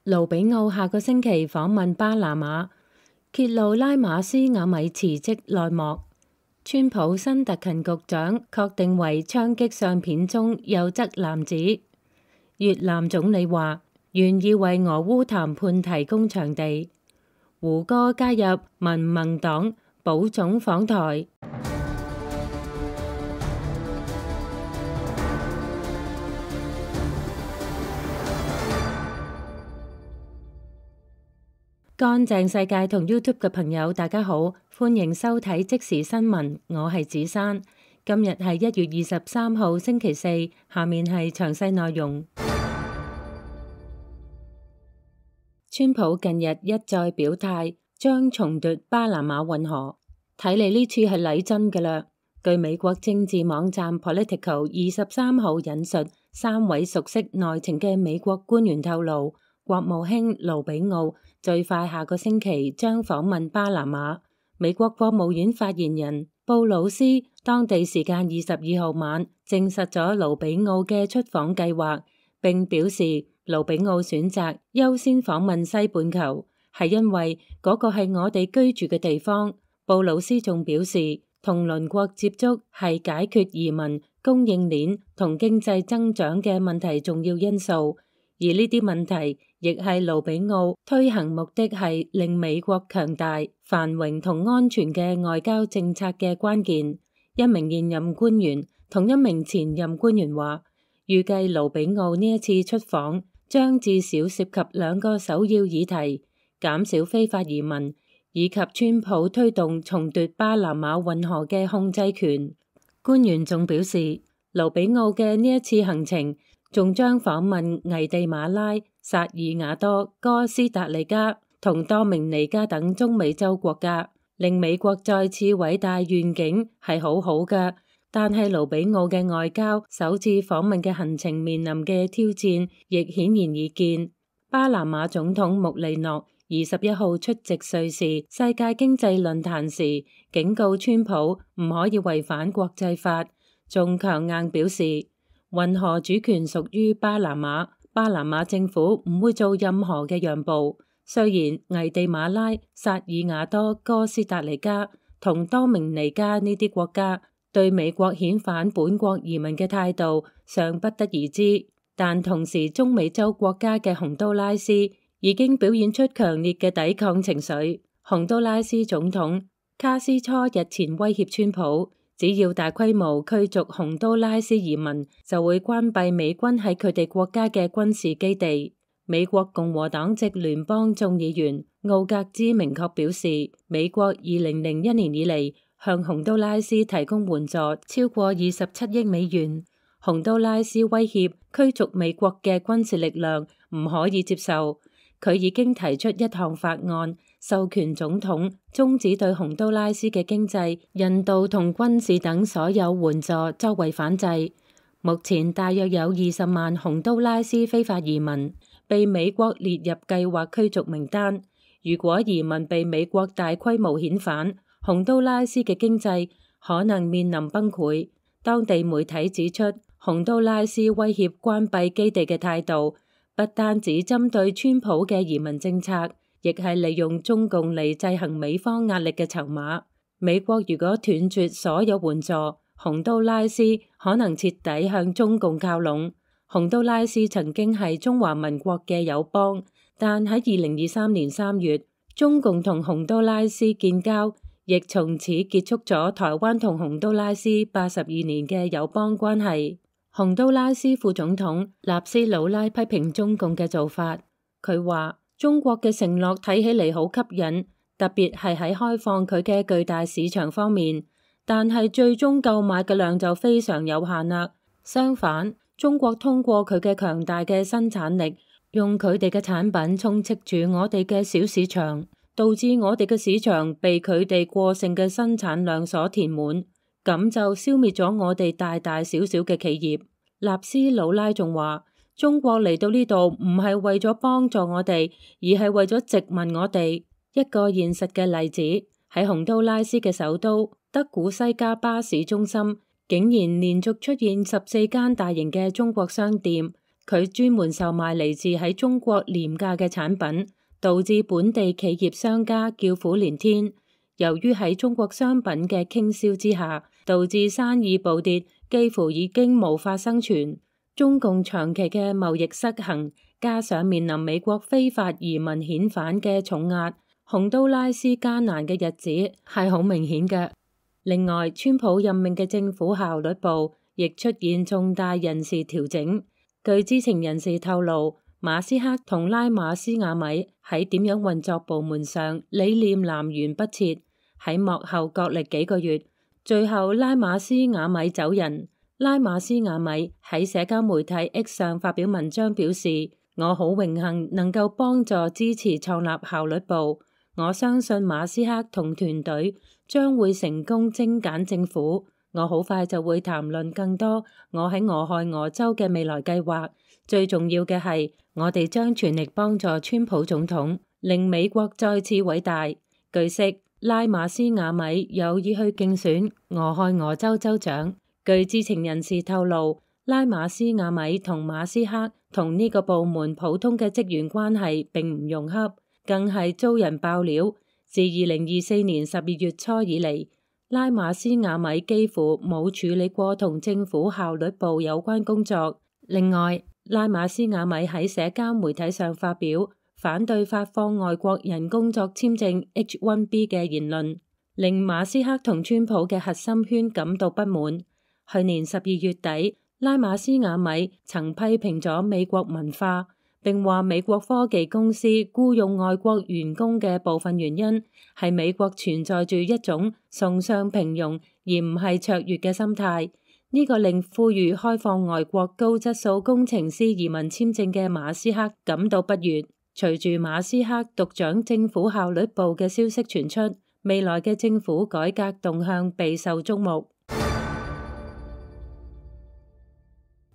盧比奧下個星期訪問巴拿馬，揭露拉馬斯亞米辭職內幕。川普新特勤局長確定為槍擊相片中右側男子。越南總理話願意為俄烏談判提供場地。胡歌加入民盟黨，保總訪台。乾淨世界同 YouTube 嘅朋友大家好，歡迎收睇即時新聞，我係子珊。今日係1月23號星期四，下面係詳細內容。川普近日一再表態將重奪巴拿馬運河，睇嚟呢次係嚟真㗎喇。據美國政治網站 Politico 23號引述3位熟悉內情嘅美國官員透露，國務卿盧比奧最快下個星期將訪問巴拿馬。美國國務院發言人布魯斯當地時間22號晚證實咗盧比奧嘅出訪計劃，並表示盧比奧選擇優先訪問西半球，係因為嗰個係我哋居住嘅地方。布魯斯仲表示，同鄰國接觸係解決移民、供應鏈同經濟增長嘅問題重要因素。而呢啲問題亦係盧比奧推行目的係令美國強大、繁榮同安全嘅外交政策嘅關鍵。一名現任官員同一名前任官員話，預計盧比奧呢一次出訪將至少涉及2個首要議題：減少非法移民以及川普推動重奪巴拿馬運河嘅控制權。官員仲表示，盧比奧嘅呢一次行程仲將訪問危地馬拉、薩爾瓦多、哥斯達黎加同多明尼加等中美洲國家，令美國再次偉大願景係好好㗎。但係盧比奧嘅外交首次訪問嘅行程面臨嘅挑戰亦顯然易見。巴拿馬總統穆里諾21號出席瑞士世界經濟論壇時，警告川普唔可以違反國際法，仲強硬表示運河主權屬於巴拿馬，巴拿馬政府唔會做任何嘅讓步。雖然危地馬拉、薩爾瓦多、哥斯達黎加同多明尼加呢啲國家對美國遣返本國移民嘅態度尚不得而知，但同時中美洲國家嘅洪都拉斯已經表現出強烈嘅抵抗情緒。洪都拉斯總統卡斯初日前威脅川普，只要大規模驅逐洪都拉斯移民，就會關閉美軍喺佢哋國家嘅軍事基地。美國共和黨籍聯邦眾議員奧格茲明確表示，美國2001年以嚟向洪都拉斯提供援助超過27億美元。洪都拉斯威脅驅逐美國嘅軍事力量唔可以接受。佢已經提出一項法案，授權總統終止對洪都拉斯嘅經濟、人道同軍事等所有援助作為反制。目前大約有20萬洪都拉斯非法移民被美國列入計劃驅逐名單。如果移民被美國大規模遣返，洪都拉斯嘅經濟可能面臨崩潰。當地媒體指出，洪都拉斯威脅關閉基地嘅態度不單止針對川普嘅移民政策，亦係利用中共嚟制衡美方壓力嘅籌碼。美國如果斷絕所有援助，洪都拉斯可能徹底向中共靠攏。洪都拉斯曾經係中華民國嘅友邦，但喺2023年3月，中共同洪都拉斯建交，亦從此結束咗台灣同洪都拉斯82年嘅友邦關係。洪都拉斯副總統納斯魯拉批評中共嘅做法，佢話中國嘅承諾睇起嚟好吸引，特別係喺開放佢嘅巨大市場方面，但係最終購買嘅量就非常有限啦。相反，中國通過佢嘅強大嘅生產力，用佢哋嘅產品充斥住我哋嘅小市場，導致我哋嘅市場被佢哋過剩嘅生產量所填滿。咁就消滅咗我哋大大小小嘅企業。納斯魯拉仲話，中國嚟到呢度唔係為咗幫助我哋，而係為咗殖民我哋。一個現實嘅例子，喺洪都拉斯嘅首都德古西加巴市中心，竟然連續出現14間大型嘅中國商店，佢專門售賣嚟自喺中國廉價嘅產品，導致本地企業商家叫苦連天。由於喺中國商品嘅傾銷之下，導致生意暴跌，幾乎已經無法生存。中共長期嘅貿易失衡，加上面臨美國非法移民遣返嘅重壓，洪都拉斯艱難嘅日子係好明顯嘅。另外，川普任命嘅政府效率部亦出現重大人事調整。據知情人士透露，馬斯克同拉馬斯亞米喺點樣運作部門上理念南轅北轍，喺幕後角力幾個月，最後拉馬斯亞米走人。拉馬斯亞米喺社交媒體 X 上發表文章表示：我好榮幸能夠幫助支持創立效率部，我相信馬斯克同團隊將會成功精簡政府。我好快就會談論更多我喺俄亥俄州嘅未來計劃。最重要嘅係，我哋將全力幫助川普總統，令美國再次偉大。據悉，拉馬斯亞米有意去競選俄亥俄州州長。據知情人士透露，拉馬斯亞米同馬斯克同呢個部門普通嘅職員關係並唔融洽，更係遭人爆料。自2024年12月初以嚟，拉馬斯亞米幾乎冇處理過同政府效率部有關工作。另外，拉馬斯亞米喺社交媒體上發表反對發放外國人工作簽證 H-1B 嘅言論，令馬斯克同川普嘅核心圈感到不滿。去年12月底，拉馬斯亞米曾批評咗美國文化，並話美國科技公司僱用外國員工嘅部分原因係美國存在住一種崇尚平庸而唔係卓越嘅心態。呢個令呼籲開放外國高質素工程師移民簽證嘅馬斯克感到不悅。隨住馬斯克獨掌政府效率部嘅消息傳出，未來嘅政府改革動向備受矚目。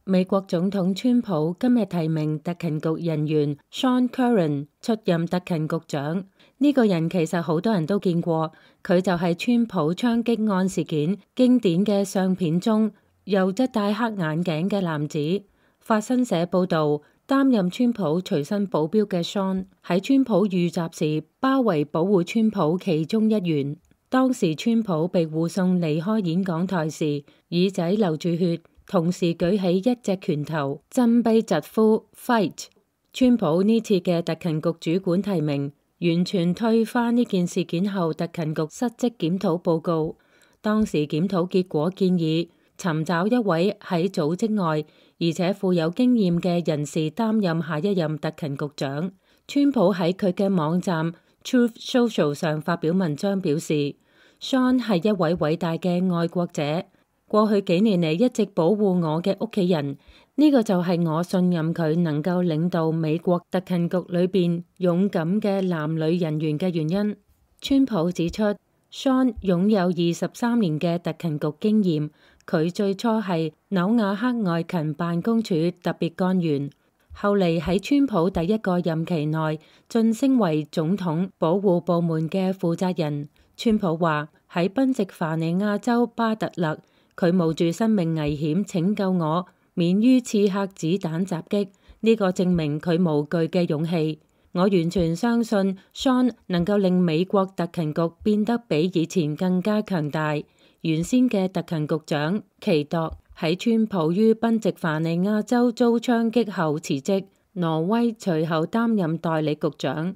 美國總統川普今日提名特勤局人員 Sean Curran 出任特勤局長。呢個人其實好多人都見過，佢就係川普槍擊案事件經典嘅相片中又則戴黑眼鏡嘅男子。法新社報道，擔任川普隨身保鏢嘅 Sean 喺川普遇襲時包圍保護川普其中一員。當時川普被護送離開演講台時，耳仔流住血，同時舉起一隻拳頭，振臂疾呼 Fight。川普呢次嘅特勤局主管提名，完全推翻呢件事件後特勤局失職檢討報告。當時檢討結果建議尋找一位喺組織外而且富有經驗嘅人士擔任下一任特勤局長。川普喺佢嘅網站 Truth Social 上發表文章表示， Sean 係一位偉大嘅愛國者。過去幾年嚟一直保護我嘅屋企人，呢個就係我信任佢能夠領導美國特勤局裏邊勇敢嘅男女人員嘅原因。川普指出， Sean 擁有23年嘅特勤局經驗，佢最初係紐瓦克外勤辦公處特別幹員，後嚟喺川普第一個任期內晉升為總統保護部門嘅負責人。川普話喺賓夕法尼亞州巴特勒，佢冒住生命危險拯救我免於刺客子彈襲擊，呢個證明佢無懼嘅勇氣。我完全相信 Sean 能夠令美國特勤局變得比以前更加強大。原先嘅特勤局長奇鐸喺川普於賓夕法尼亞州遭槍擊後辭職，挪威隨後擔任代理局長。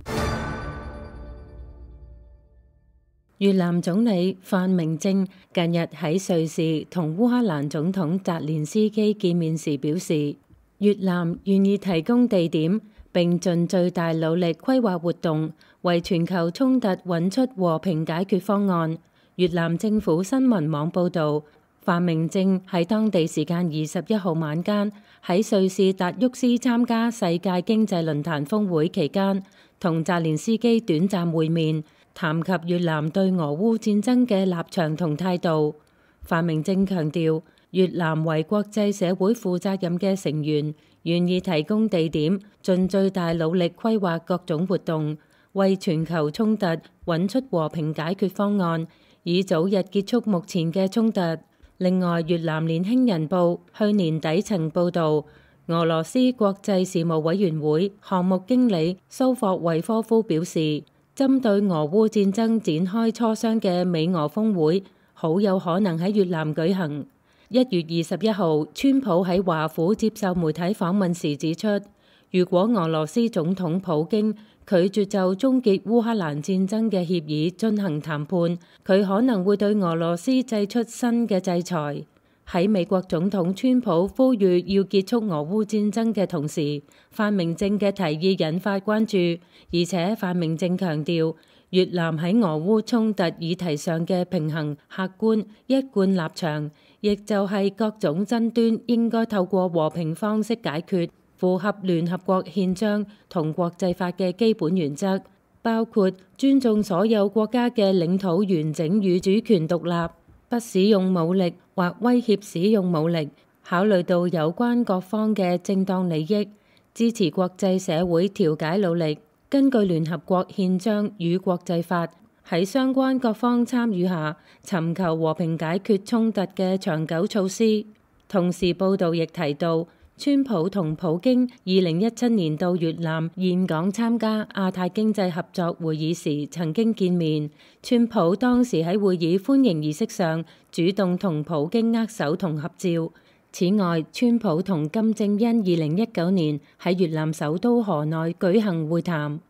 越南總理范明政近日喺瑞士同烏克蘭總統澤連斯基見面時表示，越南願意提供地點並盡最大努力規劃活動，為全球衝突揾出和平解決方案。越南政府新聞網報導，范明政喺當地時間21號晚間喺瑞士達沃斯參加世界經濟論壇峰會期間，同澤連斯基短暫會面，談及越南對俄烏戰爭嘅立場同態度。范明政強調，越南為國際社會負責任嘅成員，願意提供地點，盡最大努力規劃各種活動，為全球衝突揾出和平解決方案，以早日結束目前嘅衝突。另外，越南年輕人報去年底曾報導，俄羅斯國際事務委員會項目經理蘇霍維科夫表示，針對俄烏戰爭展開磋商嘅美俄峰會好有可能喺越南舉行。1月21號，川普喺華府接受媒體訪問時指出，如果俄羅斯總統普京拒絕就終結烏克蘭戰爭嘅協議進行談判，佢可能會對俄羅斯祭出新嘅制裁。喺美國總統川普呼籲要結束俄烏戰爭嘅同時，范明政嘅提議引發關注，而且范明政強調越南喺俄烏衝突議題上嘅平衡、客觀、一貫立場，亦就係各種爭端應該透過和平方式解決，符合聯合國憲章同國際法嘅基本原則，包括尊重所有國家嘅領土完整與主權獨立，不使用武力或威脅使用武力，考慮到有關各方嘅正當利益，支持國際社會調解努力，根據聯合國憲章與國際法，喺相關各方參與下，尋求和平解決衝突嘅長久措施。同時報導亦提到，川普同普京2017年到越南峴港參加亞太經濟合作會議時曾經見面，川普當時喺會議歡迎儀式上主動同普京握手同合照。此外，川普同金正恩2019年喺越南首都河內舉行會談。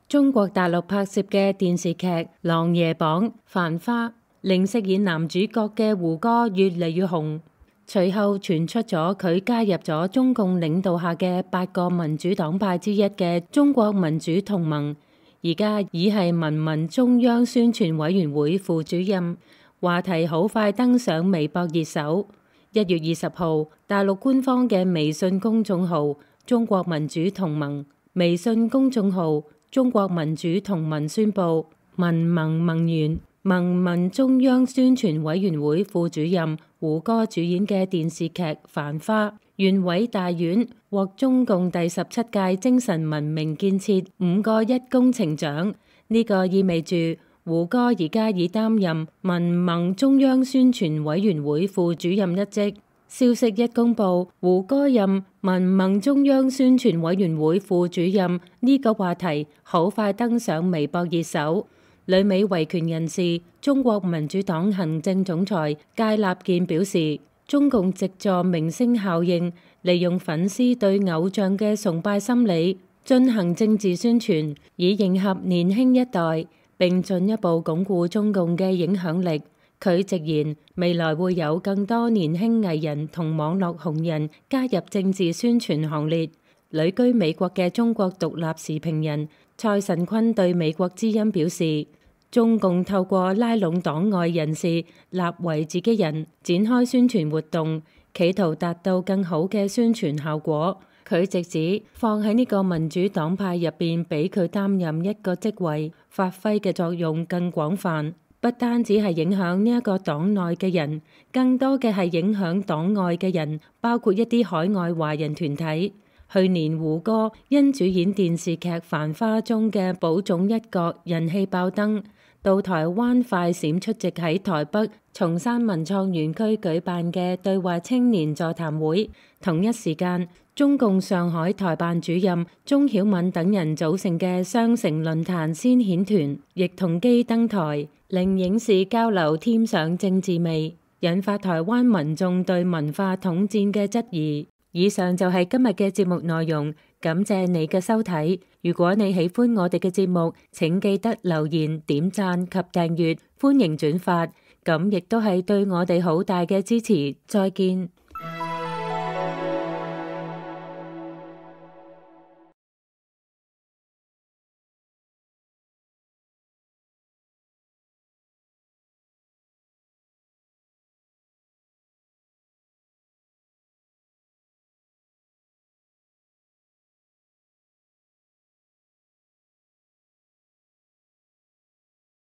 中國大陸拍攝嘅電視劇《琅琊榜》《繁花》令飾演男主角嘅胡歌越嚟越紅，隨後傳出咗佢加入咗中共領導下嘅8個民主黨派之一嘅中國民主同盟，而家已係民民中央宣傳委員會副主任，話題好快登上微博熱搜。1月20號，大陸官方嘅微信公眾號中國民主同盟、微信公眾號中國民主同盟宣布，民盟盟員、民民中央宣傳委員會副主任胡歌主演嘅電視劇《繁花》縣委大院獲中共第17屆精神文明建設5個1工程獎，呢個意味住胡歌而家已擔任民盟中央宣傳委員會副主任一職。消息一公佈，胡歌任民盟中央宣傳委員會副主任呢個話題好快登上微博熱搜。旅美維權人士、中國民主黨行政總裁芥立健表示，中共藉助明星效應，利用粉絲對偶像嘅崇拜心理進行政治宣傳，以迎合年輕一代，並進一步鞏固中共嘅影響力。佢直言，未來會有更多年輕藝人同網絡紅人加入政治宣傳行列。旅居美國嘅中國獨立時評人蔡慎坤對美國之音表示，中共透過拉攏黨外人士立為自己人，展開宣傳活動，企圖達到更好嘅宣傳效果。佢直指放喺呢個民主黨派入邊，俾佢擔任一個職位，發揮嘅作用更廣泛，不單止係影響呢一個黨內嘅人，更多嘅係影響黨外嘅人，包括一啲海外華人團體。去年胡歌因主演電視劇《繁花》中嘅寶塚一角人氣爆燈，到台灣快閃出席喺台北松山文創園區舉辦嘅對話青年座談會。同一時間，中共上海台辦主任鍾曉敏等人組成嘅雙城論壇先遣團亦同機登台，令影視交流添上政治味，引發台灣民眾對文化統戰嘅質疑。以上就係今日嘅節目內容，感謝你嘅收睇。如果你喜歡我哋嘅節目，請記得留言、點讚及訂閱，歡迎轉發，咁亦都係對我哋好大嘅支持。再見。